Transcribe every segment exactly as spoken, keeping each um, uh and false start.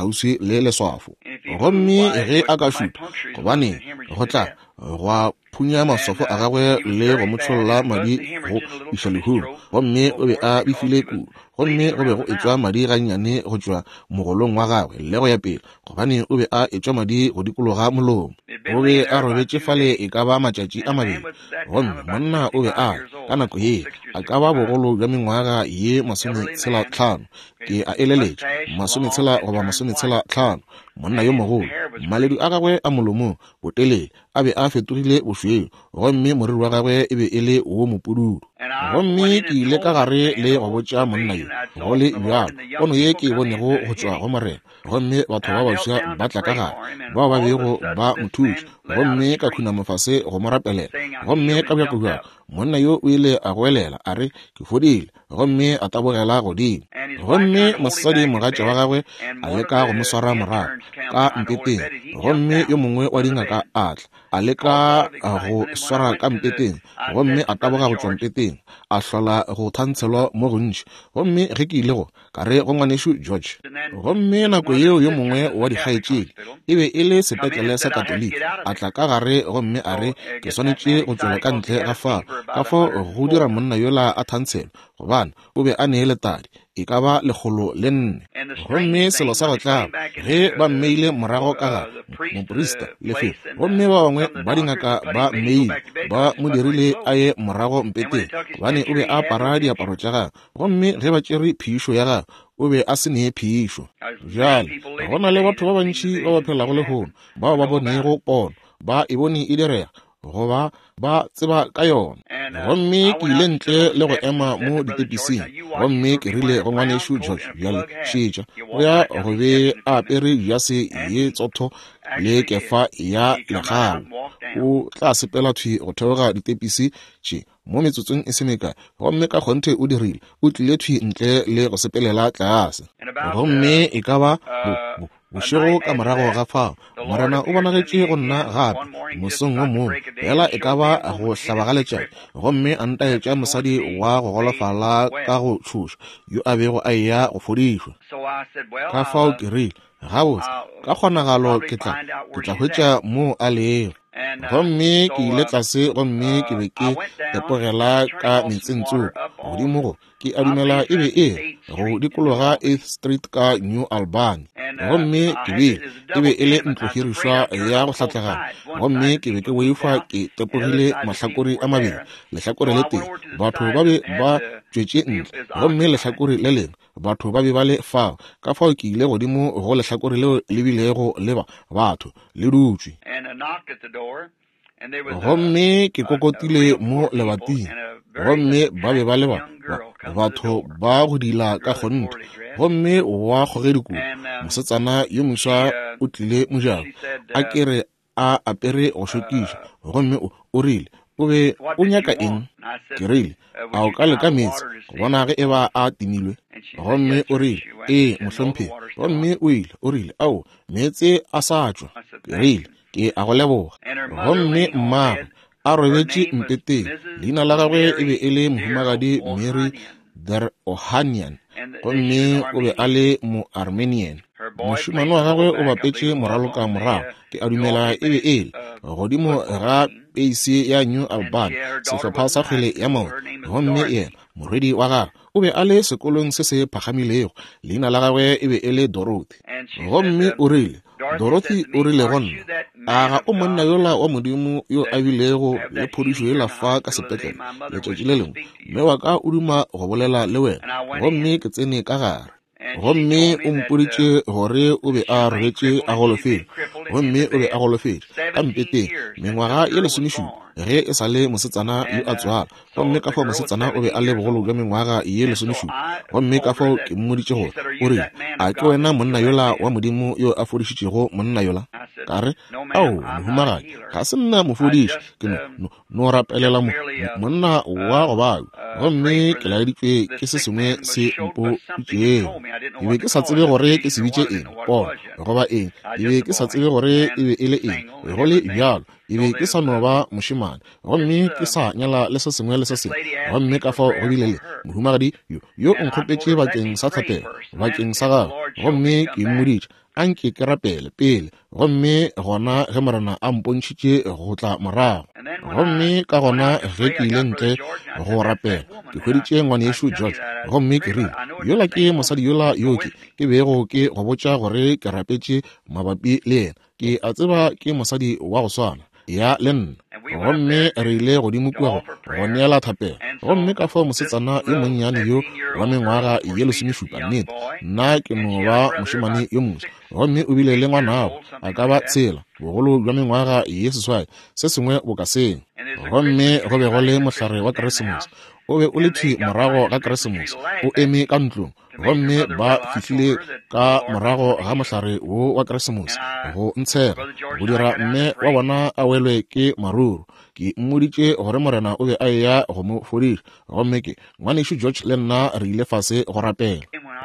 kgauswi le leswafo. Gomme ge a ka šutha, gobane go tla gwa phunya maswafo a gagwe le go mo tšholla madi go iša lehung, gomme o be a befile kudu, gomme go be go etšwa madi gannyane go tšwa mogolong wa gagwe le go ya pele, gobane o be a etšwa madi go dikologa molomo. O be a robetše fale e ka ba matšatši a mabedi, gomme monna o be a ka nako ye a ka ba bogolo bja mengwaga ye masometshela tlhano, ke a eleletša masometshela goba masometshela tlhano, monna yo mogolo, maledu a gagwe a molomong botelele a be a fetogile bošweu, gomme moriri wa gagwe e be e le wo mopududu. Gomme ke ile ka gare le go botša monna yo go le bjalo pono ye ke e bonego go tšwa go Morena, gomme batho ba baswa ba tla ka gare bao ba bego ba mo thuša, gomme ka khunama fase go mo rapelela, gomme ka bjako bjako monna yo o ile a goelela a re, ke fodile, gomme a tabogela godimo. Gomme mosadi mogatša wa gagwe a leka go mo swara morago ka mpeteng, gomme yo mongwe wa dingaka a tla a leka go swara ka mpeteng, gomme a taboga go tšwa mpeteng, a hlola go thantshelwa mo gontši. Gomme ge ke ile go ka re go ngwanešu George, gomme nako yeo yo mongwe wa dikgaetšedi e be e le sepetlele sa Katoliki, a tla ka gare gomme a re, ke swanetše go tšwela ka ntle ga fao, ka fao go dira monna yola a thantshelwa, gobane o be a nee letadi e ka ba lekgolo le nne. Gomme selo sa go tlaba, ge ba mmeile morago ka gare moprista lefelo, gomme ba bangwe ba dingaka ba mmeile ba mo dirile a ye morago mpeteng, gobane o be a apara diaparo tša gagwe, gomme ge ba tšere phišo ya gagwe o be a se nee phišo. Bjale go na le batho ba bantši ba ba phelago lehono bao ba bonego pono, ba e bone e direga, goba ba tseba ka yona. Gomme ke ile ntle le go ema mo ditepising, gomme ke rile go ngwanešu George, bjale šetša, o ya go be a apere jase ye tsotho le kefa ya legalo, o tla sepela thwi go theoga ditepisi tše mo metsotsong e se mekae. Gomme ka kgonthe o dirile, o tlile thwi ntle le go sepelela tlase. Gomme e ka ba bo bošego ka morago ga fao, Morena o bonagetše go nna gape mosong wo mongwe, fela e ka ba go hlaba ga letšatši, gomme a ntaetša mosadi wa go golofala ka go tšhoša yo a bego a eya go fodišwa. Ka fao ke rile, gabotse, ka kgonagalo ke tla ke tla hwetša moo a lego. Gomme ke ile tlase, gomme ke be ke tepogela ka metseng tsoko godimo go, ke a dumela e be e go dikologa eighth Street ka New Albany. Gomme ke be e be e le ntlohirišwa ya go hlatlagana, gomme ke be ke boifa ke tepogile mahlakore a mabedi, lehlakore le tee batho ba be ba tšwetše ntle, gomme lehlakore le lengwe batho ba be ba le fao. Ka fao ke ile godimo go lehlakore leo le bilego le ba batho le dutšwe. Gomme ke kokotile mo lebating, gomme ba be ba le ba batho ba go dila ka kgonthe, gomme wa kgogedi kudu mosetsana yo moswa o tlile mojako, a ke re a apere go šokiša, gomme o rile, o be o nyaka eng? Ke rile, a o ka leka meetse go bona ge e ba a timilwe? Gomme o rile, ee mohlomphegi. Gomme o ile, o rile, ao, meetse a sa tšwa. Ke rile, ke a go leboga. Gomme mmagwe a robetše mpeteng, leina la gagwe e be e le mohumagadi Mary Der Ohanian, gomme o be a le mo-Armenian. Mošemane wa gagwe o bapetše moraloka morago, ke a dumela e be e le godimo ga peisi ya New Albany, sehlopha sa kgwele ya maoto. Gomme yena morwedi wa gagwe o be a le sekolong se se phagamilego, leina la gagwe e be e le Dorothy. Gomme o rile, Dorothy o rile go nna, a ga o monna yola wa Modimo yo a bilego le phodišo yela fa ka sepetlele letšatši le lengwe? Mme wa ka o duma go bolela le wena. Gomme ke tsene ka gare, gomme o mpoditše gore o be a robetše a golofetše, gomme o be a golofetše ka mpeteng mengwaga ye lesomešupa ge e sa le mosetsana yo a tswala. Gomme ka fao mosetsana o be a le bogolo bja mengwaga ye lesomešupa. Gomme ka fao ke mmoditše gore, o rile, a ke wena monna yola wa Modimo yo a fodišitšego monna yola? Ka re, ao, mohumagadi, ga se nna mofodiši, ke no, no, no rapelela mo, monna wa go babja, gomme ke laeditšwe ke se sengwe se mpoditšego. Ke be ke sa tsebe gore ke se bitše eng, pono goba eng, ke be ke sa tsebe gore e be e le eng. Go le bjalo, e be ke sa no ba mošemane, gomme ke sa nyala le se sengwe le se sengwe. Gomme ka fao go bile le mohumagadi yo yo nkgopetše bakeng sa thapelo bakeng sa gagwe, gomme ke mmoditše a nke ke rapele pele, gomme gona ge Morena a mpontšhitše go tla morago. Gomme ka gona ge ke ile ntle go rapela, ke hweditše ngwanešu George, gomme ke rile, yola ke mosadi yola yo ke ke bego ke go botša gore ke rapetše mabapi le yena. Ke a tseba ke mosadi wa go swana ya le nna. Gomme re ile godimo kua go neela thapelo. Gomme ka fao mosetsana yo monnyane yo wa mengwaga ye lesomešupa, nnete nna ke no ba mošemane yo moswa, gomme o bile le ngwanabo a ka ba tshela, bogolo bja mengwaga ye seswai, se sengwe boka seng. Gomme go be go le mohlare wa Keresemose, o be o le thwi morago ga Keresemose, o eme ka ntlong. Gomme ba fihlile ka morago ga mohlare wo wa Keresemose go ntshega, go dira mme wa bona a welwe ke maruru. Ke mmoditše gore Morena o be a eya go mo fodiša. Gomme ke ngwanešu George le nna re ile fase go rapela.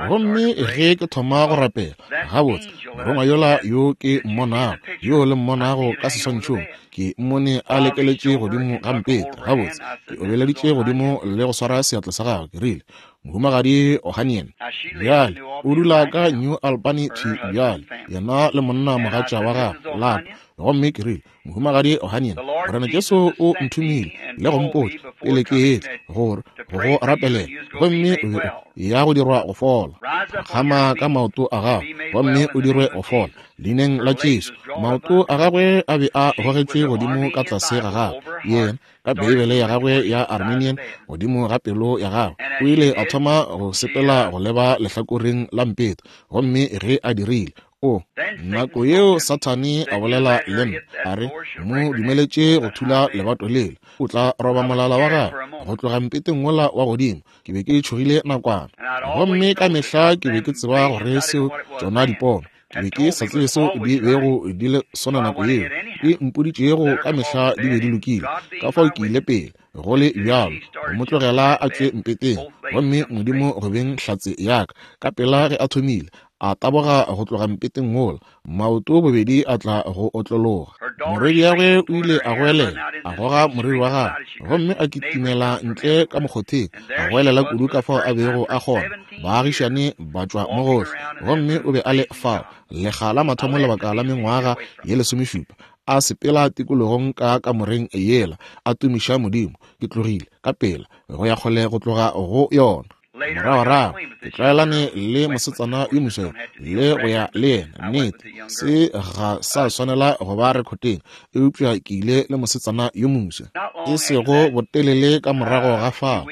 Gomme ge ke thoma go rapela, gabotse morongwa yola yo ke mmonago, yo le mmonago ka seswantšhong, ke mmone a lekeletše godimo ga mpete. Gabotse ke obeleditše godimo le go swara seatla sa gagwe, ke rile, Mohumagadi Ohanian, bjale o dula ka New Albany thwi bjale, yena le monna mogatša wa gagwe lapa. Gomme ke rile, Mohumagadi Ohanian, Morena Jesu o nthomile le go mpotša pele ke etla gore go go rapelela, gomme o be ya go dirwa go fola. Phakgama ka maoto a gago gomme o dirwe go fola leineng la Jesu. Maoto a gagwe a be a gogetšwe godimo ka tlase ga gagwe, yena ka Beibele ya gagwe ya Armenian godimo ga pelo ya gagwe. O ile a thoma go sepela go leba lehlakoreng la mpete, gomme ge a dirile, o nako yeo Sathane a bolela le nna a re, mo dumeletše go thula lebato lela, o tla roba molala wa gagwe go tloga mpeteng wola wa godimo. Ke be ke tšhogile nakwana, gomme ka mehla ke be ke tseba gore seo tšona dipono, ke be ke sa tsebe seo di bego di le sona nako yeo, di mpoditšego ka mehla di be di lokile. Ka fao ke ile pele go le bjalo go mo tlogela a tšwe mpeteng, gomme Modimo go beng hlatse ya ka, ka pela ge a thomile a taboga go tloga mpeteng wola, maoto bobedi a tla go otlologa. Morwedi ya gwe o ile a goelela, a goga moriri wa gagwe, gomme a kitimela ntle ka mokgotheng, a goelela kudu ka fao a bego a kgona. Baagišane ba tšwa mo gohle, gomme o be a le fao lekga la mathomo lebaka la mengwaga ye lesomešupa, a sepela tikologong ka kamoreng yela, a tumiša Modimo. Ke tlogile ka pela go ya kgole go tloga go yona. Moragorago ke tlwaelane le mosetsana yo mosweu le go ya le yena. Nnete se ga sa swanela go ba rekoteng, eupša ke ile le mosetsana yo moswa. E sego botelele ka morago ga fao,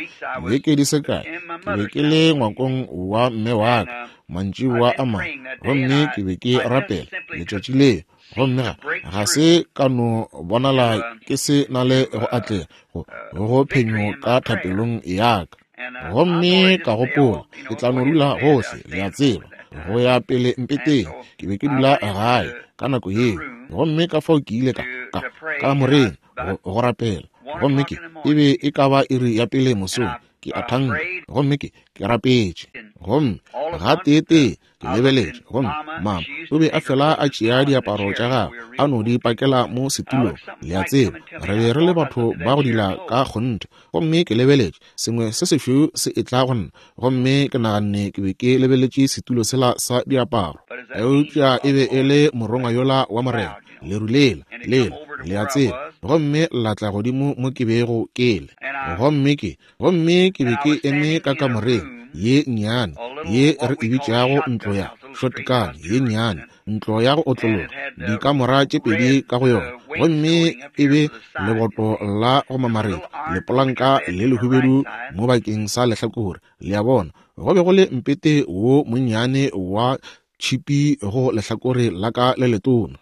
dibeke di se kae, ke be ke le ngwakong wa mme wa ka mantšiboa a mangwe, gomme ke be ke rapela letšatši leo. Gomme ga ga se ka no bonala ke se na le go atlega go go phenyo ka thapelong ya ka. Gomme ka gopola, ke tla no dula gohle, le a tseba, go ya pele mpeteng. Ke be ke dula gae ka nako yeo, gomme ka fao ke ile ka ka kamoreng go, go rapela. Gomme ke e be e ka ba iri ya pele mosong, ke a thanka, gomme ke ke rapetše. Gomme gateetee ke lebeletše, gomme mama o be a fela a tšea diaparo tša gagwe a no di pakela mo setulong. Le a tseba, re be re le batho ba go dila ka kgonthe. Gomme ke lebeletše, sengwe se sešweu se etla go nna, gomme ke naganne ke be ke lebeletše setulo sela sa diaparo, eupša e be e le morongwa yola wa Morena, leru lela lela, le a tseba, gomme la tla godimo mo ke bego ke le. Gomme ke gomme ke be ke eme ka kamoreng ye nnyane ye re e bitšago ntlo ya shotgun ye nnyane, ntlo ya go otlologa, dikamora tše pedi ka go yona, gomme e be leboto la go mamaretša lepolanka le lehubedu mo bakeng sa lehlakore. Le a bona, go be go le mpete wo monnyane wa tšhipi go lehlakore la ka le letona,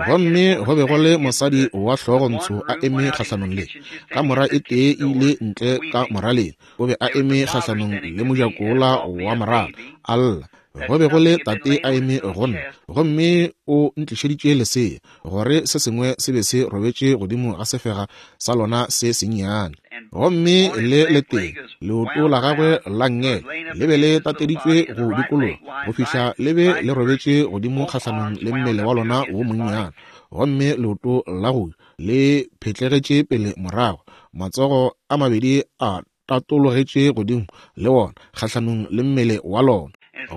gomme go be go le mosadi wa hlogontsho a eme kgahlanong le kamora e tee e ile ntle ka moraleng. O be a eme kgahlanong le mojako wola wa morala a lla. Go be go le tate a eme go nna, gomme o ntlišeditše lesea, gore se sengwe se be se robetše godimo ga sefega sa lona se sennyane. Gomme le letee leoto la gagwe la nngele le be le tateditšwe go dikologa go fihla le be le robetše godimo kgahlanong le mmele wa lona wo monnyane, gomme leoto la go le phetlegetše pele morago, matsogo a mabedi a tatologetše godimo le wona kgahlanong le mmele wa lona.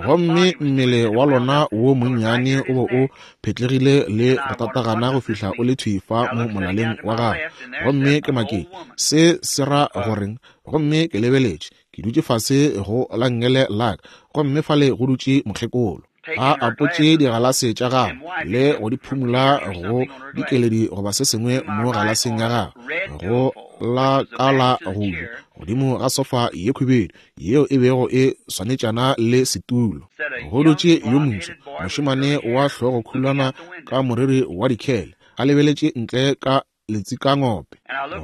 Gomme mmele wa lona wo monnyane o be o phetlegile le go tatagana go fihla o le thwi fa mo molaleng wa gagwe. Gomme ke maketše, se se ra goreng? Gomme ke lebeletše, ke dutše fase go la nngele la ka, gomme fale go dutše mokgekolo a apotše digalase tša gagwe le go di phumula go dikeledi goba se sengwe mo galaseng ya gagwe go la ka la go ja godimo ga sofa ye khubedu yeo e bego e swanetšana le setulo. Go dutše yo moswa mošemane wa hlogo khulwana ka moriri wa dikhele a lebeletše ntle ka letsikangope.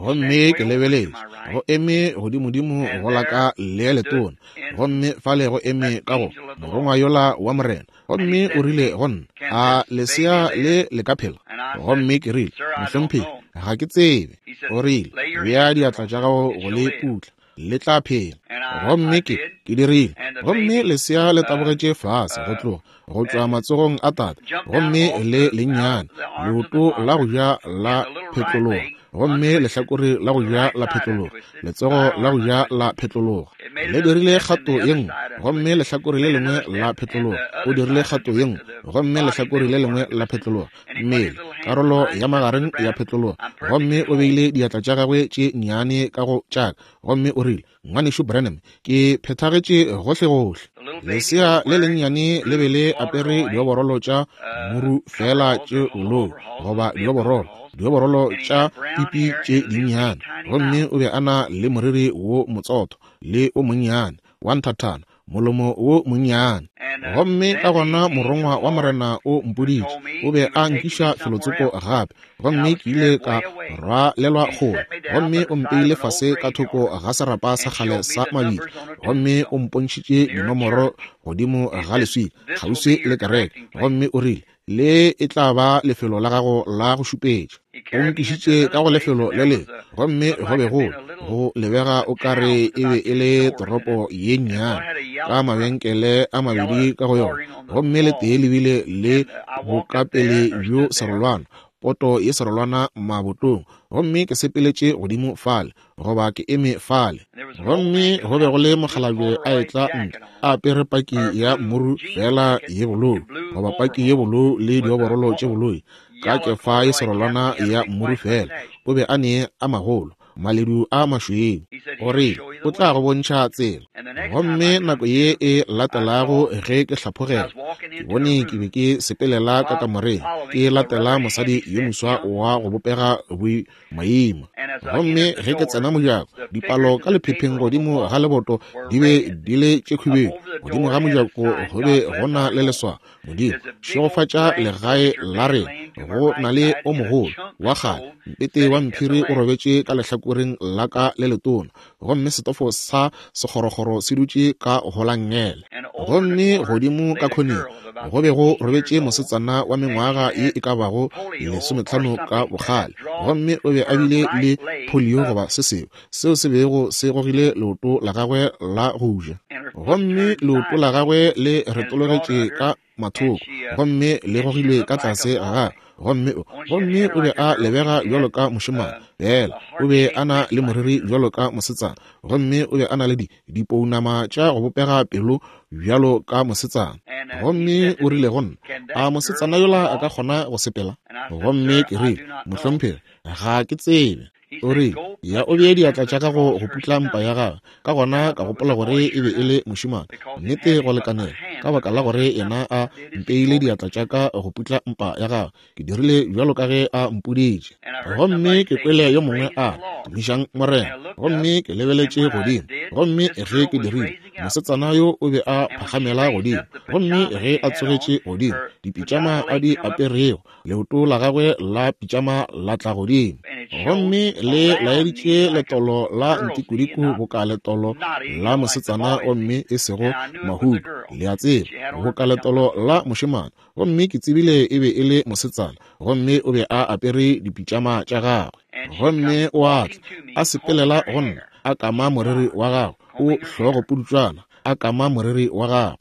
Gomme ke lebeletše, go eme godimodimo go la ka le letona, gomme fale go eme ka go morongwa yola wa Morena. Gomme o rile go nna, a lesea le le ka phela? Gomme ke rile, mohlomphegi, ga ke tsebe. O rile, bea diatla tša gago go le putla, le tla phela. Gomme ke ke dirile. Gomme lesea le tabogetše fase go tloga go tšwa matsogong a tate, gomme le lennyane leoto la go ja la phetlologa, gomme lehlakore la go ja la phetlologa, letsogo la go ja la phetlologa. Le dirile kgato ye nngwe, gomme lehlakore le lengwe la phetlologa. O dirile kgato ye nngwe, gomme lehlakore le lengwe la phetlologa. Mmele, karolo ya magareng ya phetlologa. Gomme o beile diatla tša gagwe tše nnyane ka go tšaka, gomme o rile, Ngwanešu Branham, ke phethagetše gohlegohle. Lesea le lennyane le be le apere dioborolo tša muru fela tše bolou, goba dioborolo, dioborolo tša pipi tše dinnyane. Gomme o be a na le moriri wo motsotho le o monnyane wa nthathana, molomo wo monnyane. Gomme ka gona morongwa wa Morena o mpoditše, o be a nkiša felotsoko gape, gomme ke ile ka rwalelwa kgole. Gomme o mpeile fase ka thoko ga serapa sa kgale sa mabitla, gomme o mpontšhitše dinomoro godimo ga leswika kgauswi le kereke. Gomme o rile, le e tla ba lefelo la gago la go šupetša. O nkišitše ka go lefelo le lengwe, gomme go be go go lebega o ka re e be e le toropo ye nnyane ka mabenkele a mabedi ka go yona, gomme le tee le bile le bokapele bjo serolwana, poto ye serolwana mabotong. Gomme ke sepeletše godimo fale, goba ke eme fale, gomme go be go le mokgalabje a etla ntle a apere paki ya muru fela ye bolou, goba paki ye bolou le dioborolo tše boloi, ka kefa ye serolwana ya muru fela. O be a ne a magolo, maledu a mašweu. O rile, o tla go bontšha tsela. Gomme nako ye e latelago ge ke hlaphogela, ke bone ke be ke sepelela ka kamoreng, ke latela mosadi yo moswa wa go bopega boimaima. Gomme ge ke tsena mojako, dipalo ka lephepheng godimo ga leboto di be di le tše khubedu. Godimo ga mojako go be go na le leswao, Modimo šegofatša legae la rena. Go na le o mogolo wa kgale mpete wa mphiri o robetše ka lehlakoreng la ka le letona, gomme setofo sa sekgorokgoro se dutše ka go la nngele. Gomme godimo ka khoneng go be go robetše mosetsana wa mengwaga ye e ka bago lesometlhano ka bokgale, gomme o be a bile le polio goba se sengwe seo se bego se gogile leoto la gagwe la go ja. Gomme leoto la gagwe le retologetše ka mathoko, gomme le gogilwe ka tlase ga gagwe. Gomme gomme o be a lebega bjalo ka mošemane, fela o be a na le moriri bjalo ka mosetsana, gomme o be a na le di dipounama tša go bopega pelo bjalo ka mosetsana. Gomme o rile go nna, a mosetsana yola a ka kgona go sepela? Gomme ke rile, mohlomphegi, ga ke tsebe. O rile, ya o bee diatla tša gago go putla mpa ya gagwe. Ka gona ka gopola gore e be e le mošemane, nnete go lekanela, ka baka la gore yena a mpeile diatla tša ka go putla mpa ya gagwe. Ke dirile bjalo ka ge a mpoditše. Gomme ke kwele yo mongwe a tumišang Morena. Gomme ke lebeletše godimo, gomme ge ke dirile, mosetsana yo o be a phagamela godimo. Gomme ge a tsogetše godimo, dipitšama a di aperego, leoto la gagwe la pitšama la tla godimo, gomme le laeditše letolo la ntikodiko boka letolo la mosetsana, gomme e sego mahudu, le a tseba, boka letolo la mošemane. Gomme ke tsebile e be e le mosetsana, gomme o be a apere dipitšama tša gagwe. Gomme o a tla a sepelela go nna, a kama moriri wa gagwe, o hlogo pudutšwana, a kama moriri wa gagwe.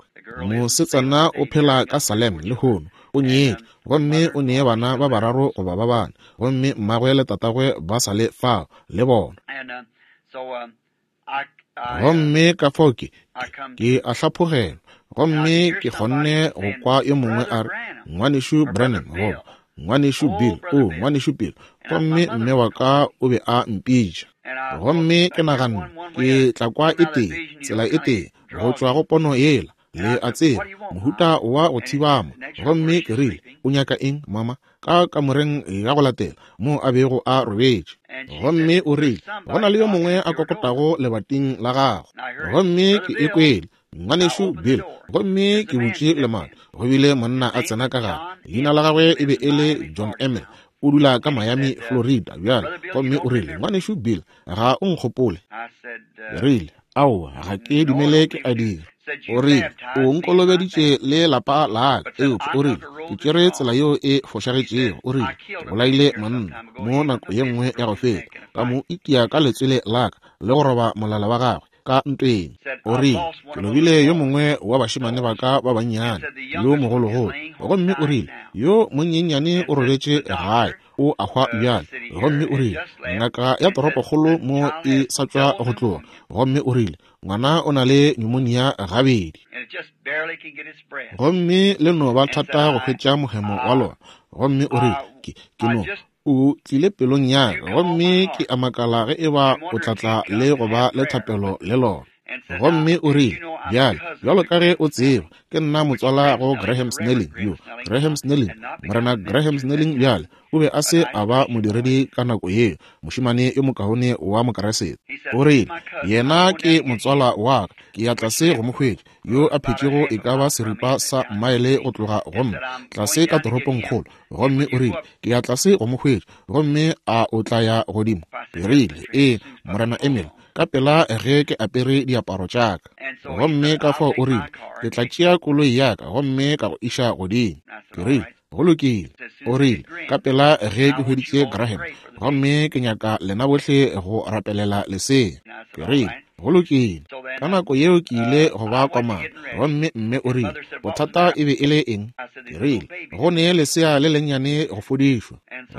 Mosetsana o phela ka Salem lehono, o nyetše, gomme o nee bana ba bararo goba ba bane, gomme mmagwe le tatagwe ba sa le fao le bona. Gomme ka fao ke, ke a hlaphogelwa, gomme ke kgonne go kwa yo mongwe a re, Ngwanešu Branham, goba Ngwanešu Bill, o Ngwanešu Bill, gomme mme wa ka o be a mpitša. Gomme ke naganne, ke tla kwa e tee, tsela e tee, go tšwa go pono yela, le a tseba, mohuta wa go thibama. Gomme ke rile, o nyaka eng, mama? Ka kamoreng ya go latela, mo a bego a robetše. Gomme o rile, go na le yo mongwe a kokotago lebating la gago. Gomme ke e kwele, Ngwanešu Bill, gomme ke butše lemati. Go bile monna a tsena ka gare. Leina la gagwe e be e le John Emil. O dula ka Miami, Florida bjale. Gomme o rile, Ngwanešu Bill, ga o nkgopole? Ke rile, aowa, ga ke dumele ke a dira. O rile, o nkolobeditše le lapa la ka, eupša o rile, ke tšere tsela yeo e fošagetšego. O rile, ke bolaile monna mo nako ye nngwe ya go feta, ka mo itia ka letswele la ka le go roba molala wa gagwe ka ntweng. O rile, ke lobile yo mongwe wa bašemane ba ka ba bannyane, yo mogologolo. Gomme o rile, yo monyenyane o robetše gae, o a hwa bjale. Gomme o rile, ngaka ya toropokgolo mo e sa tšwa go tloga. Gomme o rile, ngwana o na le pneumonia gabedi, gomme le no ba thata go hwetša mohemo wa lona. Gomme o rile, ke, ke no o tlile pelong ya ka, gomme ke a makala ge e ba o tla tla le go ba le thapelo le lona. Gomme o rile, bjale, bjalo ka ge o tseba, ke nna motswala go Graham Snelling yo. Graham Snelling, Morena Graham Snelling bjale, o be a se a ba modiredi ka nako yeo, mošemane yo mokaone wa Mokeresete. O rile, yena ke motswala wa ka, ke ya tlase go mo hwetša, yo a phetšego e ka ba seripa sa maele go tloga go nna, tlase ka toropongkgolo. Gomme o rile, ke ya tlase go mo hwetša, gomme a o tla ya godimo? Ke rile, ee, Morena Emil, ka pela ge ke apere diaparo tša ka. Gomme ka fao o rile, ke tla tšea koloi ya ka gomme ka go iša godimo. Ke rile, go lokile. O rile, ka pela ge ke hweditše Graham, gomme ke nyaka lena bohle go rapelela lesea. Ke rile, go lokile. Ka nako yeo ke ile go ba komana, gomme mme o rile, bothata e be e le eng? Ke rile, go ne lesea le lennyane go fodišwa.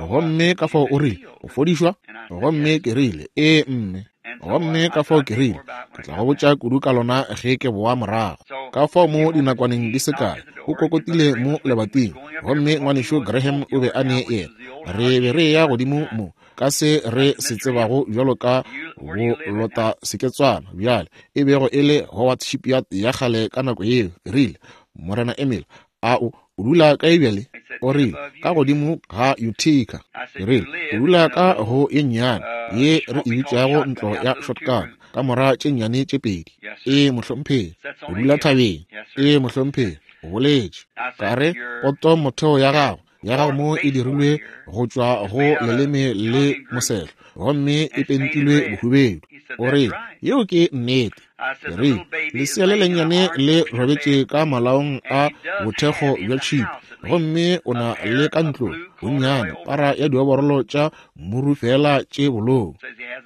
Gomme ka fao o rile, go fodišwa? Gomme ke rile, ee mme. Gomme ka fao ke rile, ke tla go botša kudu ka lona ge ke boa morago. Ka fao mo dinakwaneng di se kae, o kokotile mo lebating, gomme ngwanešu Graham o be a ne yena. Re be re ya godimo mo, ka se re se tsebago bjalo ka bolota seketswana bjale, e bego e le Howard Shipyard ya kgale ka nako yeo. Ke rile, Morena Emil, a o o dula kae bjale? O rile, ka godimo ga Utica. Ke rile, o dula ka go ye nnyane ye re e bitšago ntlo ya shotgun, ka mora tše nnyane tše pedi. Ee, mohlomphegi. O dula thabeng. Ee, mohlomphegi. O boletše. Ka re, poto motheo ya gago ya gago mo e dirilwe go tšwa go leleme le mosehlo, gomme e pentilwe bohubedu. O rile, yeo ke nnete. Ke rile, lesea le lennyane le robetše ka malaong a bothekgo bja tšhipi, gomme o na le ka ntlong bonnyane para ya dioborolo tša muru fela tše bolou.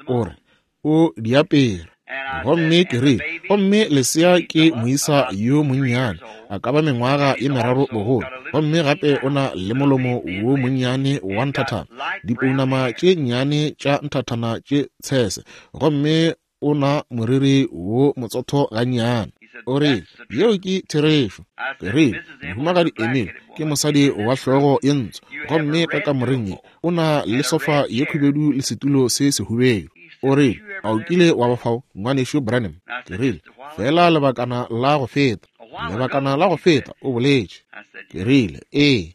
O re, o di apere. Gomme ke rile, gomme lesea ke moisa yo monnyane, a ka ba mengwaga ye meraro bogolo, gomme gape o na le molomo wo monnyane wa nthathana, dipounama tše nnyane tša nthathana tše tshese, gomme o na moriri wo motsotho gannyane. O rile, yeo ke therešo. Ke rile, Mohumagadi Emil ke mosadi wa hlogo ye ntsho, gomme ka kamoreng ye o na le sofa ye khubedu le setulo se sehubedu. O rile, a o kile wa ba fao, ngwanešu Branham? Ke rile, fela lebakana la go feta. Lebakana la go feta, o boletše. Ke rile, ee.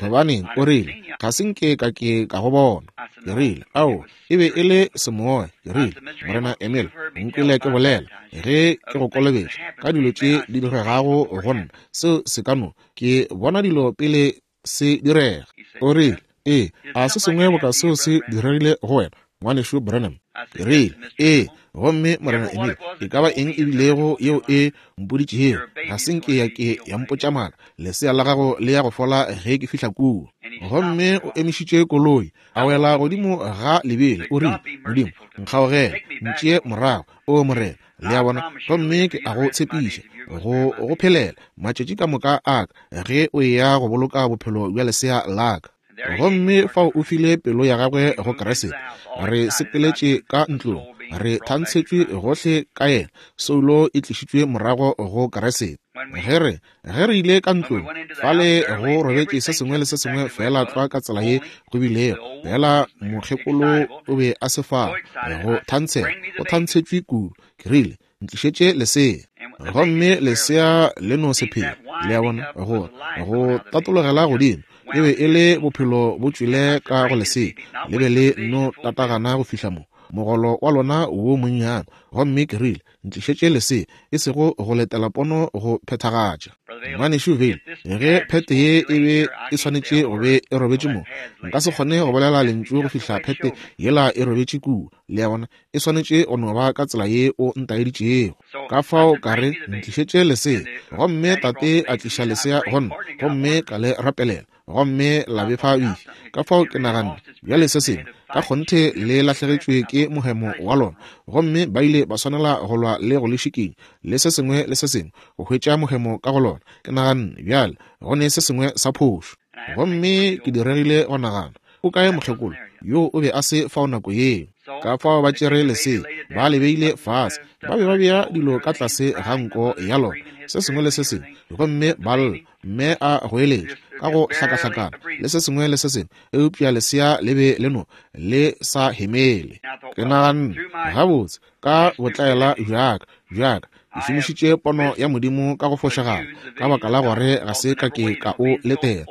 Gobaneng, o rile, ga se nke ka ke ka go bona. Ke rile, ao, e be e le semoya. Ke rile, Morena Emil, nkwele ke bolela, ge ke go kolobetša ka dilo tše di diregago go nna, seo se ka no, ke bona dilo pele se direga. O rile, ee, a se sengwe boka seo se diregile go wena, ngwanešu Branham? Ke rile, ee. Gomme Morena Emil, e ka ba eng e bilego yeo e mpoditšego, ga se nke ya ke ya mpotša maaka. Lesea la gago le ya go fola ge ke fihla kua. Gomme o emišitše koloi, a wela godimo ga lebele. O rile, Modimo, nkgaogele, ntšee morago, o Morena. Le a bona? Gomme ke a go tshepiša go go phelela matšatši ka moka a ka, ge o eya go boloka bophelo bja lesea la ka. Gomme fao o file pelo ya gagwe go Kriste. Re sepeletše ka ntlong, Re thantshetšwe gohle ka yena, soulo e tlišitšwe morago go Kriste. Ge re, ge re ile ka ntlong, fale go robetše se sengwe le se sengwe feela tlwa ka tsela ye go bilego, fela mokgekolo o be a se fao go thantshela, o thantshetšwe kudu. Ke rile, ntlišetše lesea. Gomme lesea le no se phela, le a bona, go go tatologela godimo. E be e le bophelo bo tšwele ka go lesea, le be le no tatagana go fihla mo mogolo wa lona wo monnyane. Gomme ke rile, ntlišetše lesea, e sego go letela pono go phethagatša. Ngwanešu Vayle, ge phete ye e be e swanetše go be e robetše mo, nka se kgone go bolela lentšu go fihla phete yela e robetše kua. Le a bona, e swanetše go no ba ka tsela ye o ntaeditšego. Ka fao ka re, ntlišetše lesea. Gomme tate a tliša lesea go nna, gomme ka le rapelela, gomme la befa bifi. Ka fao ke naganne, bjale se sengwe ka kgonthe le lahlegetšwe ke mohemo wa lona, gomme ba ile ba swanela go lwa le go le šikinya le se sengwe le se sengwe go hwetša mohemo ka go lona. Ke naganne, bjale go ne se sengwe sa phošo. Gomme ke diregile go nagana, o kae mokgekolo yo o be a se fao nako yeo? Ka fao ba tšere lesea, ba le beile fase, ba be ba bea dilo ka tlase ga nko ya lona, se sengwe le se sengwe, gomme ba lla, mme a goeletša ka go hlakahlakana le se sengwe le se sengwe, eupša lesea le be le no le sa hemele. Ke naganne, gabotse, ka botlaela bjaka bjaka ke šomišitše pono ya Modimo ka go fošagala, ka baka la gore ga se ka ke ka o letela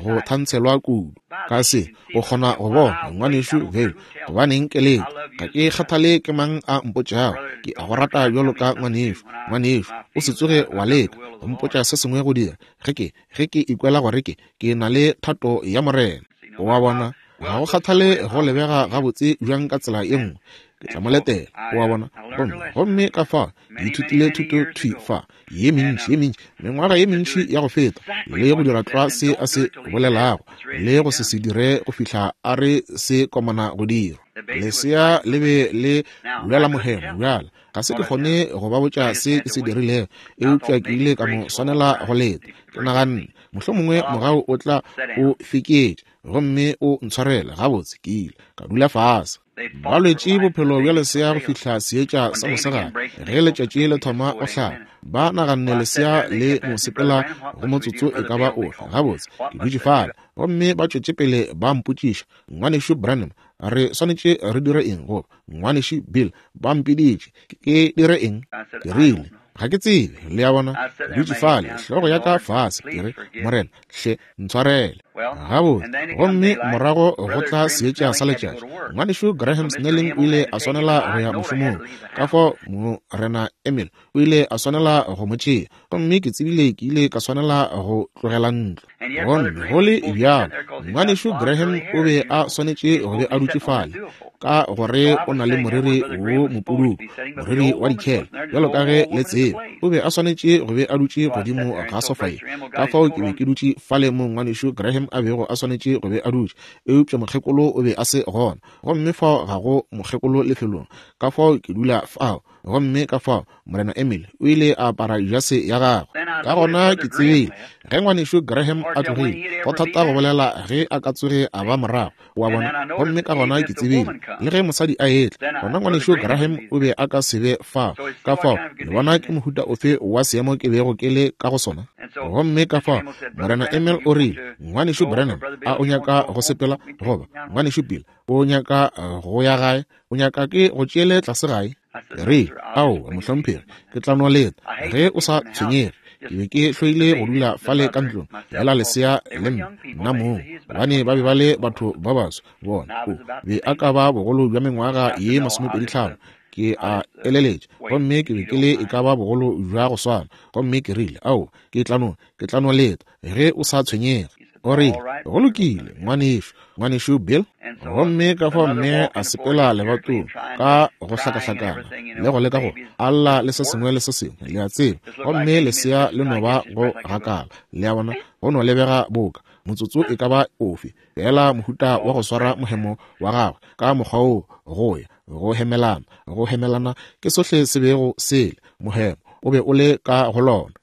go thantshelwa kudu. Ka se o kgona go bona, ngwanešu Vayle, gobaneng ke leka, ga ke kgathale ke mang a mpotšago, ke a go rata bjalo ka ngwanešu. Ngwanešu, o se tsoge wa leka go mpotša se sengwe go dira, ge ke ge ke ikwela gore ke ke na le thato ya Morena. Wa bona, ga go kgathale go lebega gabotse bjang ka tsela ye nngwe, ke tla mo letela. Wa bona, gomme gomme ka fa ke ithutile thuto thwi fa ye mentši ye mentši, mengwaga ye mentši ya go feta, le go dira tlwa se a se bolelago le go se se dire go fihla a re se komana go dira. Lesea le be le lwela mohemo bjala. Ga se ke kgone go ba botša se ke se dirilego, eupša ke ile ka mo swanela go leta. Ke naganne, mohlomongwe mogau o tla o feketše gomme o ntshwarele. Gabotse, ke ile ka dula fase. Ba lwetše bophelo bja lesea go fihla seetša sa mosegare, ge letšatši le thoma go hlaba. Ba naganne lesea le mo sepela go motsotso e ka ba ofe. Gabotse, ke dutše fale, gomme ba tšwetše pele ba mpotšiša, ngwanešu Branham, re swanetše re dire eng? Goba ngwanešu Bill, ba mpiditše, ke dire eng? Ke rile, ga ke tsebe. Le a bona, ke dutše fale, hlogo ya ka fase, ke re, Morena, hle ntshwarele. Gabotse, gomme morago go tla seetša sa letšatši. Ngwanešu Graham Snelling o ile a swanela go ya mošomong, ka fao Morena Emil o ile a swanela go mo tšea, gomme ke tsebile ke ile ka swanela go tlogela ntlo. Gomme go le bjalo, ngwanešu Graham o be a swanetše go be a dutše fale, ka gore o na le moriri wo mopududu, moriri wa dikhele, bjalo ka ge le tseba. O be a swanetše go be a dutše godimo ga sofa ye. Ka fao ke be ke dutše fale mo ngwanešu Graham a bego a swanetše go be a dutše, eupša mokgekolo o be a se gona, gomme fao ga go mokgekolo lefelong. Ka fao ke dula fao, gomme ka fao Morena Emil o ile a apara jase ya gagwe. Ka gona ke tsebile ge ngwanešu Graham a tlogile, go thata go bolela ge a ka tsoge a ba morago, wa bona. Gomme ka gona ke tsebile le ge mosadi a etla, gona ngwanešu Graham o be a ka se be fao. Ka fao le bona ke mohuta ofe wa seemo ke bego ke le ka go sona. Gomme ka fao Morena Emil o rile, ngwanešu Branham, a o nyaka go sepela? Goba ngwanešu Bill, o nyaka go ya gae? O nyaka ke go tšeele tlase gae? Re, ao, mohlomphegi, ke tla no leta ge o sa tshwenyege. Ke be ke hloile go dula fale ka ntlong fela lesea le mme nna mong, gobane ba be ba le batho ba baso. Bona, o be a ka ba bogolo bja mengwaga ye masomepedi tlhano, ke a eleletša, gomme ke be ke le e ka ba bogolo bja go swana. Gomme ke rile, ao, ke tla no, ke tla no leta ge o sa tshwenyege. O rile, go lokile, ngwanešu, ngwanešu Bill. Gomme ka fao mme a sepela lebatong ka go hlakahlakana le go leka go alla le se sengwe le se sengwe, le a tseba, gomme lesea le no ba go gakala, le a bona, go no lebega boka motsotso e ka ba ofe fela mohuta wa go swara mohemo wa gagwe ka mokgwa wo, go ya go hemelana, go hemelana ke sohle se bego sele mohemo. o be o le ka go lona.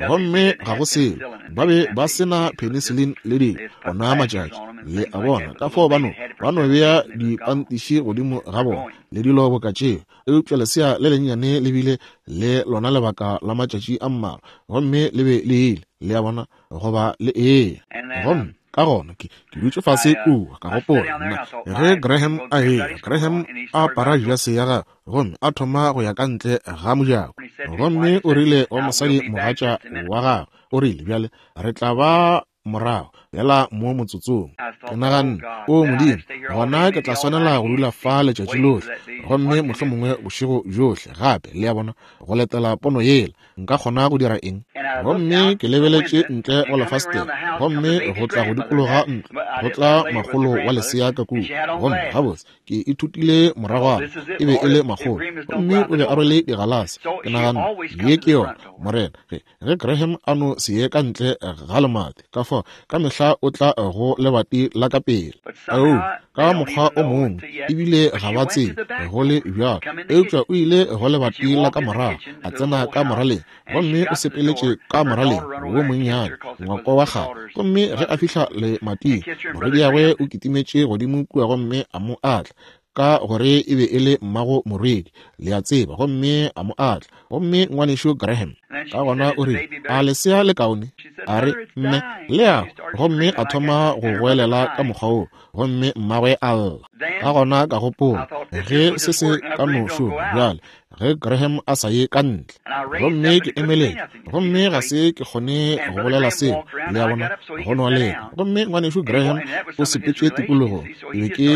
Gomme ga go selo, ba be ba se na penicillin le dilo ona matšatši, le a bona, ka fao ba no ba no bea dipantiši godimo ga bona le dilo boka tšeo. Eupša lesea le lennyane le bile le lona lebaka la matšatši a mmalwa, gomme le be le ile, le a bona, goba le eya. Gomme ka gona ke ke dutše fase kua, ka gopola nna ge Graham a eya, Graham a apara jase ya gagwe gomme a thoma go ya ka ntle ga mojako. Gomme o rile wa mosadi mogatša wa gagwe, o rile, bjale re tla ba morago bjala mo motsotsong. Ke naganne, o Modimo, gona ke tla swanela go dula fa letšatši lohle, gomme mohlomongwe bošego bjohle gape, le a bona, go letela pono yela. Nka kgona go dira eng? Gomme ke lebeletše ntle go lefastere, gomme go tla go dikologa ntlo, go tla makgolo wa lesea ka kua. Gomme gabotse ke ithutile moragwana, e be e le makgolo, gomme o be a rwele digalase. Ke naganne, ye ke yona, Morena, ge ge Graham a no se ye ka ntle ga lemati, ka fao ka mehla o tla go lebati la ka pele. Ao, ka mokgwa o mongwe, ebile ga ba tsebe go le bjalo, eupša o ile go lebati la ka morago, a tsena ka moraleng, gomme o sepeletše ka moraleng wo monnyane, ngwako wa kgale. Gomme ge a fihla lemating, morwediagwe o kitimetše godimo kua gomme a mo atla, ka gore e be e le mmago morwedi, le a tseba, gomme a mo atla. Gomme ngwanešu Graham ka gona o rile, a lesea le kaone? A re, mme, le a. Gomme a thoma go goelela ka mokgwa woo, gomme mmagwe a lla. Ka gona ka gopola, ge se se ka no šoma bjale, ge Graham a sa ye ka ntle. Gomme ke emeletše, gomme ga se ke kgone go bolela selo, le a bona, go no leka. Gomme ngwanešu Graham o sepetše tikologong, ke be ke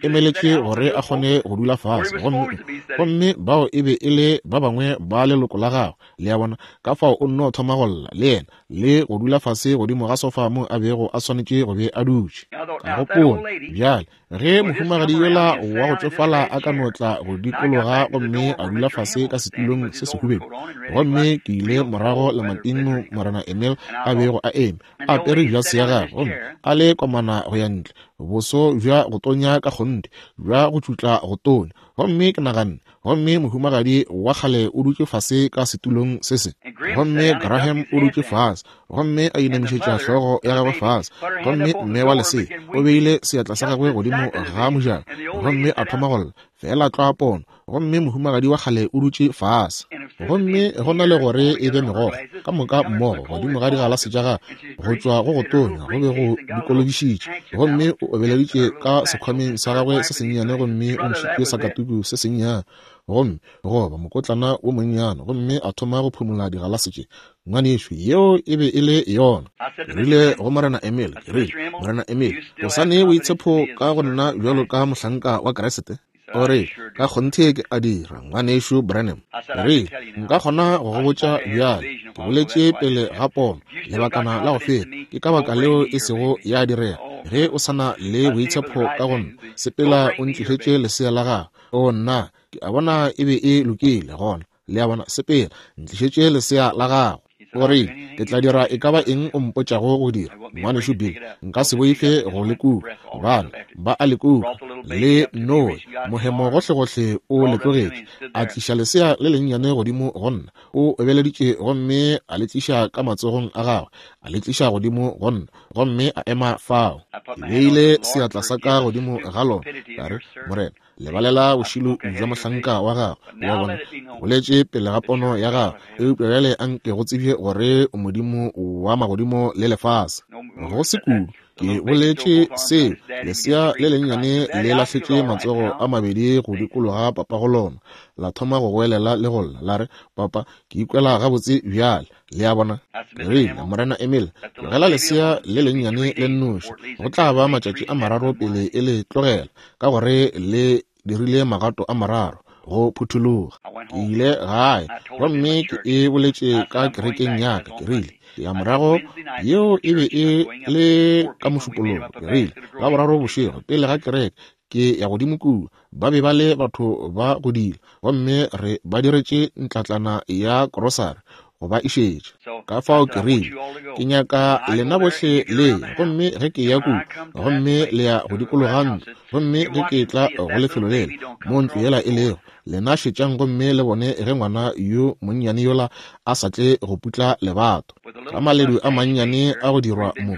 emeletše gore a kgone go dula fase, gomme gomme bao e be e le ba bangwe ba leloko la gagwe, le a bona. Ka fao o nno thoma go lla le yena, le go dula fase godimo ga sofa mo a bego a swanetše go be a dutše. Ka gopola, bjale ge mohumagadi yola wa go tšofala a ka no tla go dikologa gomme a dula fase ka setulong se sehubedu. Gomme ke ile morago lemating mo Morena Emil a bego a eme, a apere jase ya gagwe, gomme a le komana go ya ntle, boso bja go tonya ka kgonthe, bja go tšutla go tonya. Gomme ke naganne, gomme mohumagadi wa kgale o dutše fase ka setulong se se. Gomme Graham o dutše fase, gomme a inamišetša hlogo ya gagwe fase, gomme mme wa lesea o beile seatla sa gagwe godimo ga mojako, gomme a thoma go lla, fela tlwa pono. Gomme mohumagadi wa kgale o dutše fase, gomme go na le gore e be megokgo ka moka mmogo godimo ga digalase tša gagwe, go tšwa go go tonya go be go dikologišitše. Gomme o obeleditše ka sekhwameng sa gagwe se sennyane, gomme o ntšhitše sakatuku se sennyane, gomme goba mokotlana wo monnyane, gomme a thoma go phumola digalase tše. Ngwanešu, yeo e be e le yona. Ke rile go Morena Emil, ke rile, Morena Emil, o sa ne boitshepo ka go nna bjalo ka mohlanka wa Kriste? O re, ka kgonthe ke a dira, ngwanešu Branham. Ke rile, nka kgona go go botša bjale, ke boletše pele ga pono lebakana la go feta, ke ka baka leo e sego ya direga. Ge o sa na le boitshepo ka go nna, sepela o ntlišetše lesea la gago. O nna, ke a bona e be e lokile gona, le a bona, sepela ntlišetše lesea la gago. O rile, ke tla dira e ka ba eng o mpotšago go dira, ngwanešu Bill. Nka se boife go le kuka, gobane ba a le kuka le Noe, mohemo gohlegohle o le tlogetše. A tliša lesea le lennyane godimo go nna, o obeleditše gomme a le tliša ka matsogong a gagwe, a le tliša godimo go nna, gomme a ema fao. Ke beile seatla sa ka godimo ga lona, ka re, Morena, lebalela bošilo bja mohlanka wa gago. Wa bona, boletše pele ga pono ya gago, eupša bjale a nke go tsebje gore o Modimo wa magodimo le lefase. Go se kudu ke boletše seo, lesea le lennyane le lahletše matsogo a mabedi go dikologa papa go lona, la thoma go goelela le go lla, la re, papa, ke ikwela gabotse bjale. Le a bona? Ke rile, Morena Emil, tlogela lesea le lennyane le nnoši, go tla ba matšatši a mararo pele e le tlogela, ka gore le dirile magato a mararo go phuthologa. Ke ile gae gomme ke e boletše ka kerekeng ya ka. Ke rile, ke ya morago, yeo e be e le ka Mošupologo. Ke rile, la boraro bošego pele ga kereke, ke ya godimo kua, ba be ba le batho ba godile, gomme re ba diretše ntlatlana ya krosari, go ba išetša. Ka fao ke rile, ke nyaka lena bohle le ye, gomme ge ke ya kua, gomme le ya go dikologa ntlo, gomme ge ke tla go lefelo lela mo ntlo yela e lego, lena šetšang gomme le bone ge ngwana yo monnyane yola a sa tle go putla lebato. Ka maledu a mannyane a go dirwa mo,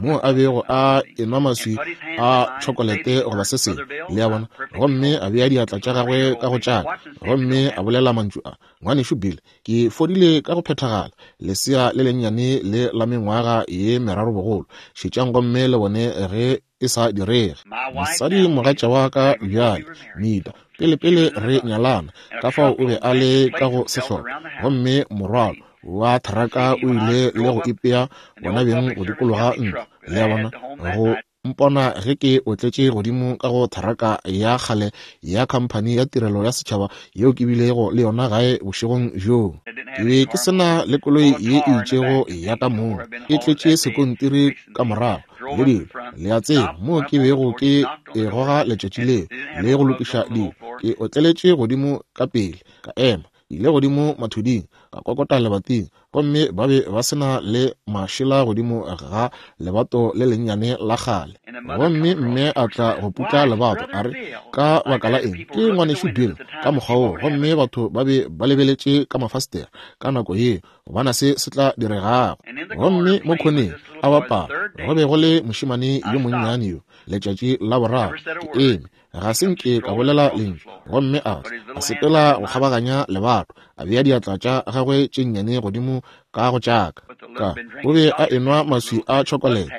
mo a bego a enwa maswi a tšhokolete goba se sengwe, le a bona, gomme a bea diatla tša gagwe ka go tšaka, gomme a bolela mantšu a, ngwanešu Bill, ke fodile ka go phethagala, lesea le lennyane le la mengwaga ye meraro bogolo. Šetšang gomme le bone ge e sa direge. Mosadi mogatša wa ka bjale, Mita, pele pele re nyalana, ka fao o be a le ka go sehlopha, gomme morwalo wa tharaka o ile le go ipea bona beng go dikologa ntlo, le a bona, go mpona ge ke otletše godimo ka go tharaka ya kgale ya khamphani ya tirelo ya setšhaba yeo ke bilego le yona gae bošegong bjoo. Ke be ke se na le koloi ye e itšego ya ka mong, e tletše sekontiri ka morago le dilo, le a tseba, moo ke bego ke e goga letšatši leo le go lokiša dilo. Ke otleletše godimo ka pele, ka ema, ile godimo mathuding, ka kokota lebating, gomme ba be ba se na le mašela godimo ga lebato le lennyane la kgale. Gomme mme a tla go putla lebato, a re, ka baka la eng, ke ngwanešu Bill ka mokgwa woo. Gomme batho ba be ba lebeletše ka mafastere ka nako yeo go bona se se tla diregago. Gomme mo khoneng a bapala go be go le mošemane yo monnyane yo. Letšatši la boraro ke eme, ga se nke ka bolela lentšu, gomme a a sepela go kgabaganya lebato, a bea diatla tša gagwe tše nnyane godimo ka go tšaka. Ka o be a enwa maswi a tšhokolete,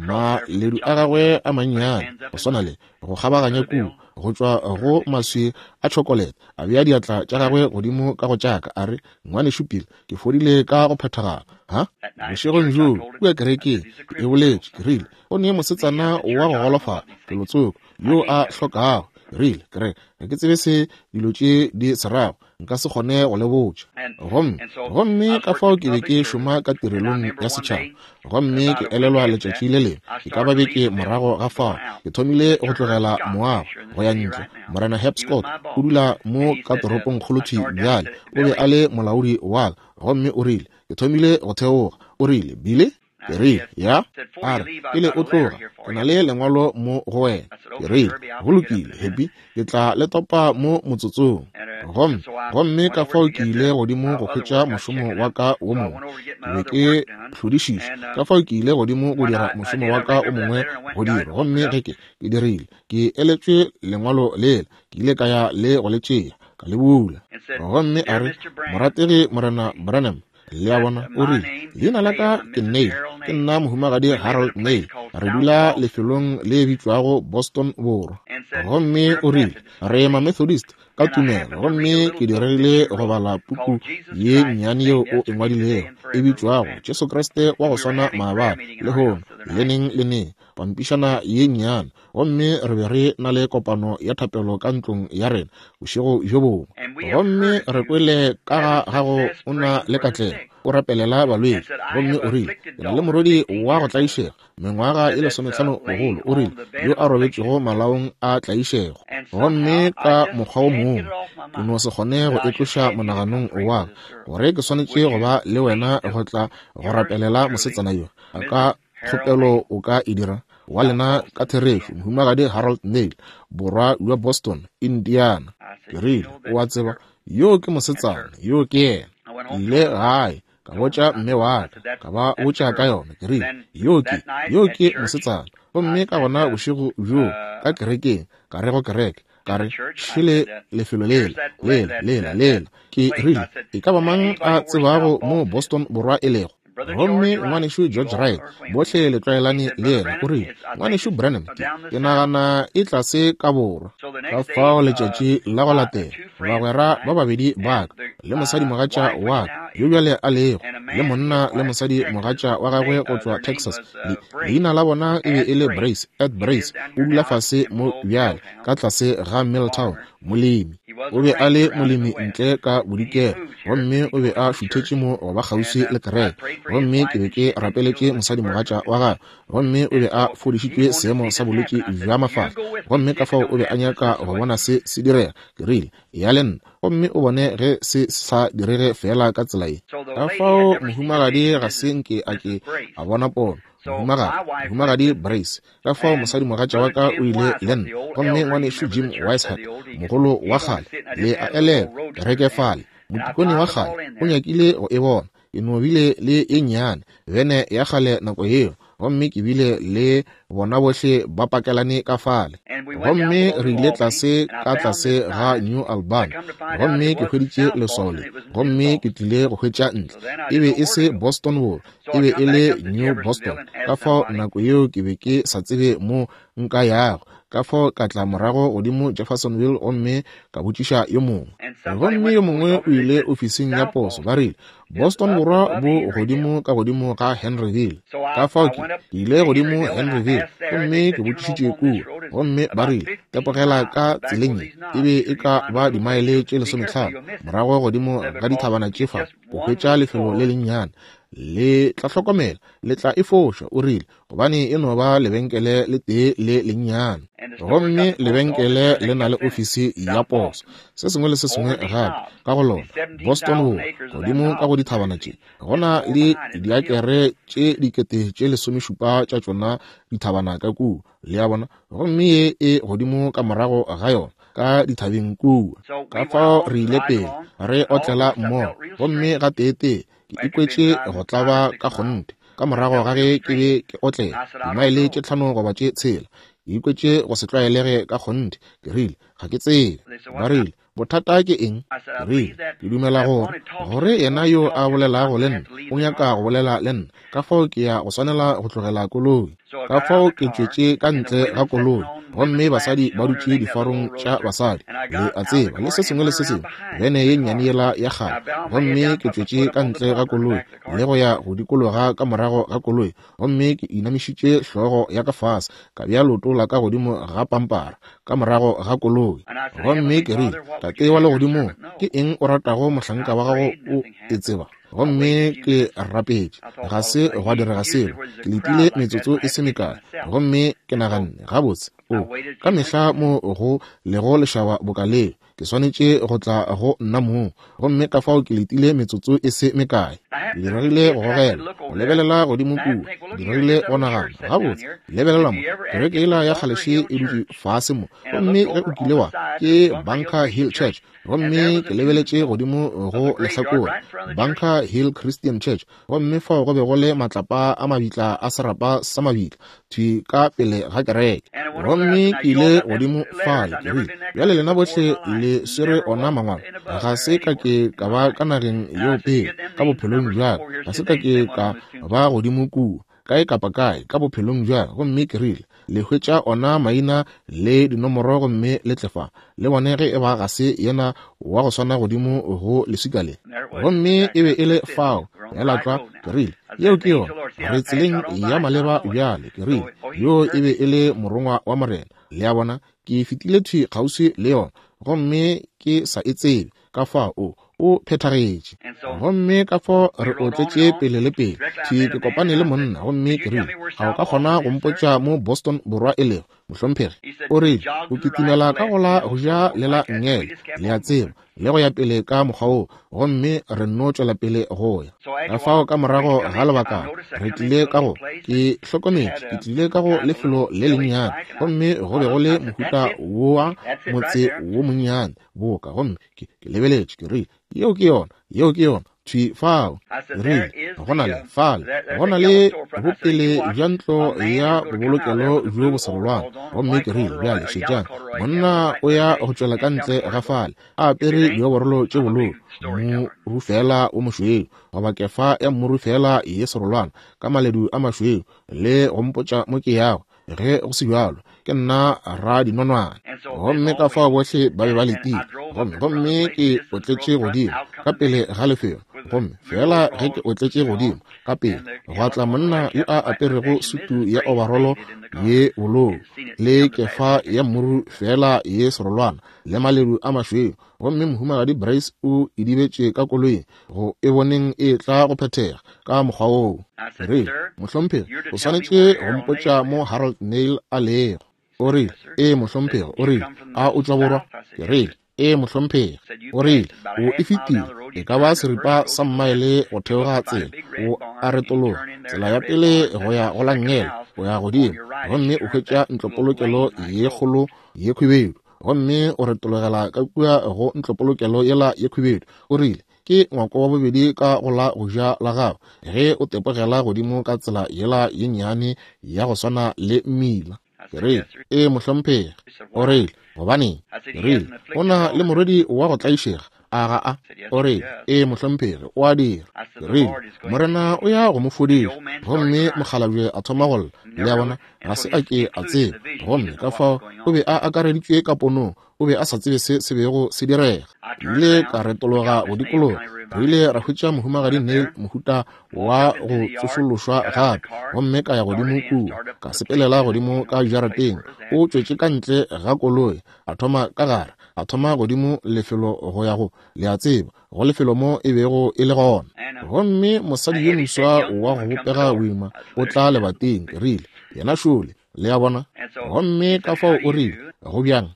maledu a gagwe a mannyane go swana le go kgabaganya kua go tšwa go maswi a tšhokolete, a bea diatla tša gagwe godimo ka go tšaka, a re, ngwanešu Bill, ke fodile ka go phethagala. Ha bošegong bjoo kua kerekeng ke e boletše, ke rile, o ne mosetsana wa go golofala felotsoko yo a hlokago. Ke rile, ke re ga ke tsebe se dilo tše di se rago, nka se kgone go le botša. Gomme gomme ka fao ke be ke šoma ka tirelong ya setšhaba, gomme ke elelwa letšatši le lengwe, e ka ba beke morago ga fao, ke thomile go tlogela moago go ya ntle. Morena Herb Scott o dula mo ka toropongkgolo thwi bjale, o be a le molaodi wa ka, gomme o rile, ke thomile go theoga. O rile, Billy? Ke rile, ya. A re, pele o tloga, ke na le lengwalo mo go wena. Ke rile, go lokile, Happy, ke tla le topa mo motsotsong. Gomme gomme ka fao ke ile godimo go hwetša mošomo wa ka wo mongwe. Ke be ke hlodišiša, ka fao ke ile godimo go dira mošomo wa ka o mongwe go dira. Gomme ge ke ke dirile, ke eletšwe lengwalo lela, ke ile ka ya le go le tšea, ka le bula. Gomme a re, morategi Morena Branham, le a bona, o rile, leina la ka ke Neil, ke nna mohumagadi Harold Neil, re dula lefelong le bitšwago Boston Borwa. Gomme o rile, re ma Methodist ka tumelo, gomme ke dirile go bala puku ye nnyane yeo o e ngwadilego e bitšwago Jesu Kriste wa go swana maabane, lehono, le neng le neng, pampišana ye nnyane. Gomme re be re na le kopano ya thapelo ka ntlong ya rena bošego bjo bongwe, gomme re kwele ka ga gago o na le katlego, o rapelela balwetši. Gomme o rile, ke na le morwedi wa go tlaišega, mengwaga e lesomehlano bogolo, o rile, yo a robetšego malaong a tlaišego. Gomme ka mokgwa wo mongwe ke no se kgone go e tloša monaganong wa ka gore ke swanetše go ba le wena go tla go rapelela mosetsana yo. A ka kgopelo o ka e dira? Wa lena ka therešo, mohumagadi Harold Neil, borwa bja Boston, Indiana. Ke rile, o a tseba, yo ke mosetsana, yo ke yena. Ke ile gae, ka botša mme wa ka, ka ba botša ka yona. Ke rile, yo ke, yo ke mosetsana. Gomme ka gona bošego bjoo ka kerekeng, ka re go kereke, ka re, šele lefelo lela, lela, lela, lela. Ke rile, e ka ba mang a tsebago mo Boston Borwa e lego? Gomme ngwanešu George Wright, bohle le tlwaelane le yena, o rile, ngwanešu Branham, ke, ke nagana e tlase ka borwa. Ka fao letšatši la go latela, bagwera ba babedi ba ka, le mosadi mogatša wa ka, yo bjale a lego, le monna le mosadi mogatša wa gagwe go tšwa Texas, le, leina la bona e be e le Brace, Ed Brace, o dula fase mo bjale, ka tlase ga Milltown, molemi. O be a le molemi ntle ka bodikela, gomme o be a šuthetše mo go ba kgauswi le kereke. Gomme ke be ke rapeletše mosadimogatša wa gagwe, gomme o be a fodišitšwe seemo sa bolwetši bja mafahla. Gomme ka fao o be a nyaka go bona se se direga. Ke rile, ya le nna, gomme o bone ge se sa direge fela ka tsela ye. Ka fao mohumagadi ga se nke a ke a bona pono. Mohumagadi, mohumagadi Brace. Ka fao mosadimogatša wa ka o ile le nna, gomme ngwanešu Jim Wiseheart, mogolo wa kgale, le a elelwa, kereke fale, motikone wa kgale, o nyakile go e bona. Ke no bile le ye nnyane bene ya kgale nako yeo, gomme ke bile le bona bohle ba pakelane ka fale. Gomme re ile tlase ka tlase ga New Albany, gomme ke hweditše leswao le, gomme ke tlile go hwetša ntle. E be e se Boston Wall, e be e le New Boston. Ka fao nako yeo ke be ke sa tsebe mo nka yago. Ka fao ka tla morago godimo Jeffersonville gomme ka botšiša yo mongwe. Gomme yo mongwe o ile ofising ya poso, ba rile, Boston Borwa bo godimo ka godimo ga Henryville. Ka fao ke ile godimo Henryville, gomme ke botšišitše kua, gomme ba rile, tepogela ka tseleng ye, e be e ka ba dimaele tše lesometlhano morago godimo ga dithabana tše fa, go hwetša lefelo le lennyane. Le tla hlokomela, le tla e foša, o rile, gobane e no ba lebenkele le tee le lennyane. Gomme lebenkele le na le ofisi ya poso, se sengwe le se sengwe gape ka go lona. Boston Wall, godimo ka go dithabana tše, go na le diakere tše dikete tše lesomešupa tša tšona dithabana ka kua, le a bona, gomme ye e godimo ka morago ga yona ka dithabeng kua. Ka fao re ile pele re otlela mmogo, gomme ga teetee ke ikwetše go tlaba ka kgonthe. Ka morago ga ge ke be ke otlela dimaele tše tlhano goba tše tshela, ke ikwetše go se tlwaelege ka kgonthe. Ke rile, ga ke tsebe. Ba rile, bothata ke eng? Ke rile, ke dumela gore gore yena yo a bolelago le nna o nyaka go bolela le nna, ka fao ke ya go swanela go tlogela koloi. Ka fao ke tšwetše ka ntle ga koloi, gomme basadi ba dutše difarong tša basadi, le a tseba, le se sengwe le se sengwe, bene ye nnyane yela ya kgale. Gomme ke tšwetše ka ntle ga koloi le go ya go dikologa ka morago ga koloi, gomme ke inamišitše hlogo ya ka fase, ka bea leoto la ka godimo ga pampara ka morago ga koloi. Gomme ke rile, Tate wa legodimong, ke eng o ratago mohlanka wa gago o e tseba? Gomme ke rapetše, ga se gwa direga selo. Ke letile metsotso e se mekae, gomme ke naganne, gabotse, o ka mehla mo go lego lešaba boka leo, ke swanetše go tla go nna mong. Gomme ka fao ke letile metsotso e se mekae. Ke diregile go gogela, go lebelela godimo kua, ke diregile go nagana, gabotse, lebelela mo, kereke yela ya kgaleše e dutše fase mo. Gomme ge o kile wa, ke Bunker Hill Church. Gomme ke lebeletše godimo go lehlakore, Bunker Hill Christian Church, gomme fao go be go le matlapa a mabitla a serapa sa mabitla thwi ka pele ga kereke. Gomme ke ile godimo fale, ke rile, bjale lena bohle le swere ona mangwalo. Ga se ka ke ka ba ka nageng yeo pele ka bophelong bja ka, ga se ka ke ka ba godimo kua kae kapa kae ka bophelong bja ka. Gomme ke rile, le hwetša ona maina le dinomoro gomme le tle fa, le bone ge e ba ga se yena wa go swana godimo go leswika le. Gomme e be e le fao, ya tlwa. Ke rile, yeo ke yona, re tseleng ya maleba bjale. Ke rile, yo e be e le morongwa wa Morena, le a bona. Ke fetile thwi kgauswi le yona, gomme ke sa e tsebe. Ka fao o o phethagetše. Gomme ka fao re otletše pele le pele thwi, ke kopane le monna, gomme ke rile, ga o ka kgona go mpotša mo Boston Borwa e lego, mohlomphegi? O rile, o kitimela ka go la go ja le la nngele, le a tseba, le go ya pele ka mokgwa woo, gomme re nno tšwela pele go ya. Ka fao ka morago ga lebakana re tlile ka go, ke hlokometše, ke tlile ka go lefelo le lennyane, gomme go be go le mohuta wa motse wo monnyane boka. Gomme ke ke lebeletše, ke rile, yeo ke yona, yeo ke yona, thwi fao. Ke rile, go na le fale, go na le bopele bja ntlo ya bobolokelo bjo bo serolwana. Gomme ke rile, bjale šetšang, monna o ya go tšwela ka ntle ga fale, a apere dioborolo tše bolou, morufela wo mošweu, goba kefa ya morufela ye serolwana, ka maledu a mašweu, le go mpotša mo ke yago. Ge go se bjalo, ke nna radinonwane. Gomme ka fao bohle ba be ba letile. Gomme gomme ke otletše godimo ka pele ga lefelo, Gomme feela ge ke otletše godimo, ka pele gwa tla monna yo a aperego sutu ya obarolo ye bolou le kefa ya mmuru feela ye serolwana le maledu a mašweu. Gomme Mohumagadi Brace o idibetše ka koloing go e boneng e tla go phethega ka mokgwa woo. Ke rile, Mohlomphegi, o swanetše go mpotša mo Harold Nail a lego. O rile, Ee, mohlomphegi. O rile, A o tšwa borwa? Ke rile, Ee, mohlomphegi. O rile, O e fetile e ka ba seripa sa mmaele go theoga tsela, o a retologa tsela ya pele go ya go la nngele, o ya godimo gomme o hwetša ntlopolokelo ye kgolo ye khwibedu, gomme o retologela ka kua go ntlopolokelo yela ye khwibedu. O rile, Ke ngwako wa bobedi ka go la go ja la gago ge o tepogela godimo ka tsela yela ye nnyane ya go swana le mmila. Ke rile, Ee, mohlomphegi. O rile, Gobaneng? Ke rile, O na le morwedi wa go tlaišega, a ga a? O rile, Ee, mohlomphegi, o a dira. Ke rile, Morena o ya go mo fodiša. Gomme mokgalabje a thoma go lla. Le a bona, ga se a ke a tseba. Gomme ka fao o be a akareditšwe ka ponong, o be a sa tsebe se se bego se direga. Ke ile ka retologa go dikologa. Re ile ra hwetša Mohumagadi Nail mohuta wa go tsošološwa gape, gomme ka ya godimo kua, ka sepelela godimo ka jarateng. O tšwetše ka ntle ga koloi, a thoma ka gare, a thoma godimo lefelo go ya go, le a tseba, go lefelo mo e bego e le gona. Gomme mosadi yo moswa wa go bopega boima o tla lebating. Ke rile, Yena šole. Le a bona? Gomme ka fao o rile, Go bjang?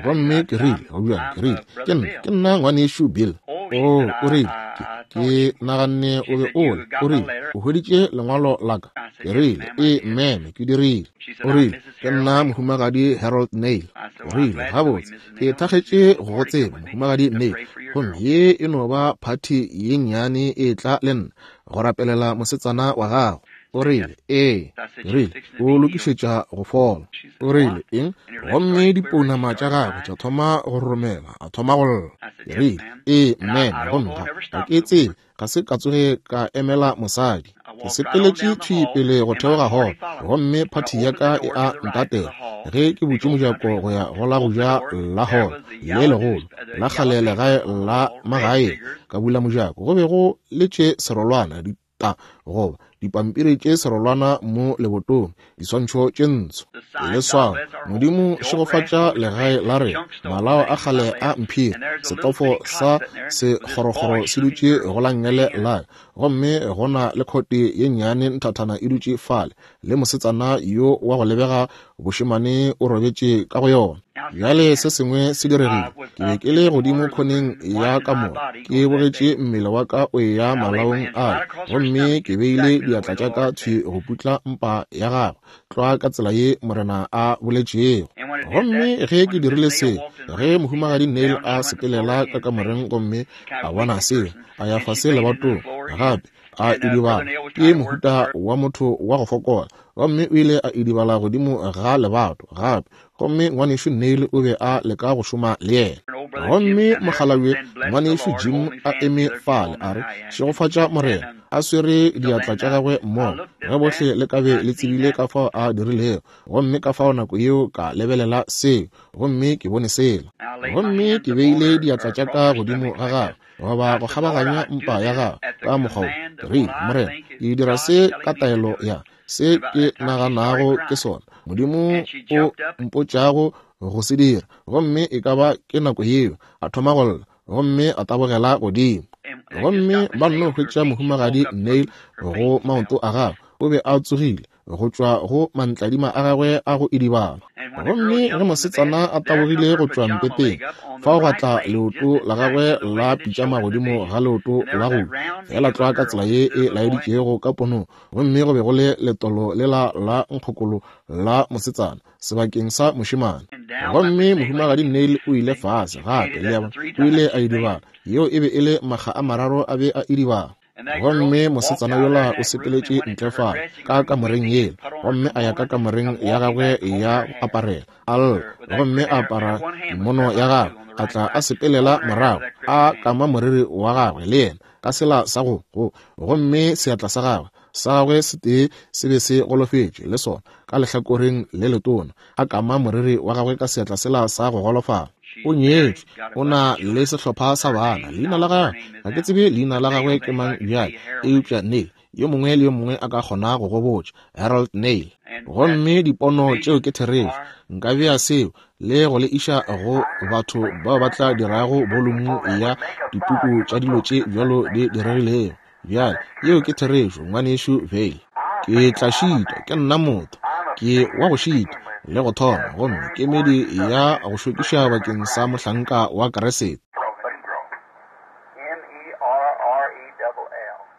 Gomme ke rile, Go bjang? Ke rile, Ke nna, ke nna ngwanešu Bill. Oh, o rile, ke, ke naganne o be o le. O rile, O hweditše lengwalo la ka? Ke rile, Ee, meme, ke dirile. O rile, Ke nna Mohumagadi Harold Nail. O rile, Gabotse, ke thakgetše go go tseba, Mohumagadi Nail. Gomme ye e no ba phathi ye nnyane e tla le nna go rapelela mosetsana wa gago. O rile, Ee. Ke rile, O lokišetša go fola. O rile, Eng? Gomme dipounama tša gagwe tša thoma go roromela, a thoma go lla. Ke rile, Ee, meme. Gomme ga, ga ke tsebe, ga se ka tsoge ka emela mosadi. Ke sepeletše thwi pele go theoga hall, gomme phathi ya ka e a ntatela. Ge ke butše mojako go ya go la go ja la hall le legolo la kgale legae la magaeng, ka bula mojako, go be go letše serolwana, ta goba dipampiri tše serolwana mo lebotong, diswantšho tše ntsho, leswao, Modimo šegofatša legae la rena, malao a kgale a mphiri, setofo sa sekgorokgoro se dutše go la nngele la ka, gomme go na le khote ye nnyane nthathana e dutše fale, le mosetsana yo wa go lebega bošemane o robetše ka go yona. Bjale se sengwe se diregile. Ke be ke le godimo khoneng ya kamora, ke bogetše mmele wa ka o eya malaong ale, gomme ke beile diatla tša ka thwi go putla mpa ya gagwe, tlwa ka tsela ye Morena a boletšego. Gomme ge ke dirile se, ge Mohumagadi Nail a sepelela ka kamoreng gomme a bona seo, a ya fase lebatong gape, a idibala. Ke mohuta wa motho wa go fokola, gomme o ile a idibala godimo ga lebato gape. Gomme ngwanešu Nail o be a leka go šoma le yena. Gomme mokgalabje ngwanešu Jim a eme fale, a re, Šegofatša Morena, a swere diatla tša gagwe mmogo. Ge bohle le ka be le tsebile ka fao a dirilego. Gomme ka fao nako yeo ka lebelela seo, gomme ke bone sela. Gomme ke beile diatla tša ka godimo ga gagwe, goba go kgabaganya mpa ya gagwe ka mokgwa wo. Ke rile, Morena, ke dira se ka taelo ya se ke naganago ke sona Modimo o mpotšago go se dira. Gomme e ka ba ke nako yeo a thoma go lla, gomme a tabogela godimo. Gomme ba nno hwetša Mohumagadi Nail go maoto a gagwe, o be a tsogile go tšwa go mantladima a gagwe a go idibala. Gomme ge mosetsana a tabogile go tšwa mpeteng, fao gwa tla leoto la gagwe la pitšama godimo ga leoto la go fela tlwa ka tsela ye e laeditšego ka ponong. Gomme go be go le letolo lela la nkgokolo la mosetsana sebakeng sa mošemane. Gomme Mohumagadi Nail o ile fase gape, le a bona, o ile a idibala. Yeo e be e le makga a mararo a be a idibala. Gomme mosetsana yola o sepeletše ntle fale ka kamoreng yela, gomme a ya ka kamoreng ya gagwe ya go aparela, a lla, gomme a apara kimono ya gagwe, a tla a sepelela morago, a kama moriri wa gagwe le yena ka sela sa go go, gomme seatla sa gagwe sa gagwe se tee se be se golofetše le sona ka lehlakoreng le letona, a kama moriri wa gagwe ka seatla sela sa go golofala. O nyetšwe, o na le sehlopha sa bana. Leina la gagwe, ga ke tsebe leina la gagwe ke mang bjale, eupša Neil, yo mongwe le yo mongwe a ka kgona go go botša, Harold Neil. Gomme dipono tšeo ke therešo. Nka bea seo le go le iša go batho bao ba tla dirago bolumu ya dipuku tša dilo tše bjalo di diregilego. Bjale, yeo ke therešo, ngwanešu Vayle. Ke tla šitwa, ke nna motho, ke wa go šitwa le go thoma, gomme kemedi ya go šokiša bakeng sa mohlanka wa Kriste.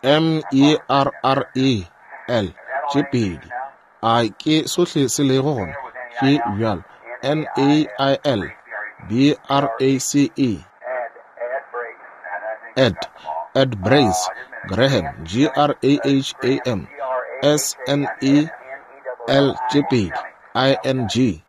M E R R E L tše pedi. A ke sohle se lego gona? Ke bjalo. N A I L B R A C E. Ed, Ed Brace, Graham, G R A H A M, S N E L tše pedi, I N G.